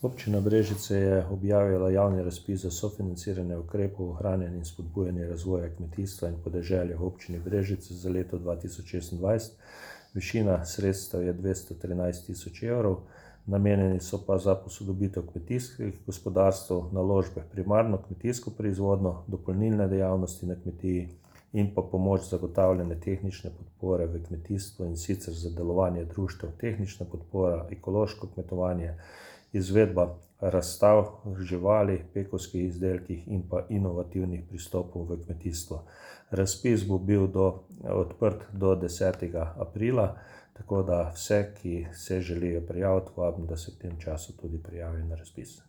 Občina Brežice je objavila javni razpis za sofinanciranje ukrepov ohranjanja in spodbujanja razvoja kmetijstva in podeželja v občini Brežice za leto 2026. Višina sredstev je 213 000 evrov, namenjeni so pa za posodobitev kmetijskih gospodarstv, naložbe v primarno kmetijsko proizvodnjo, dopolnilne dejavnosti na kmetiji in pa pomoč zagotavljanja tehnične podpore v kmetijstvu, in sicer za delovanje društev, tehnična podpora, ekološko kmetovanje, izvedba razstav živali, pekovskih izdelkih in pa inovativnih pristopov v kmetijstvo. Razpis bo bil odprt do 10. aprila, tako da vse, ki se želijo prijaviti, vabim, da se v tem času tudi prijavijo na razpis.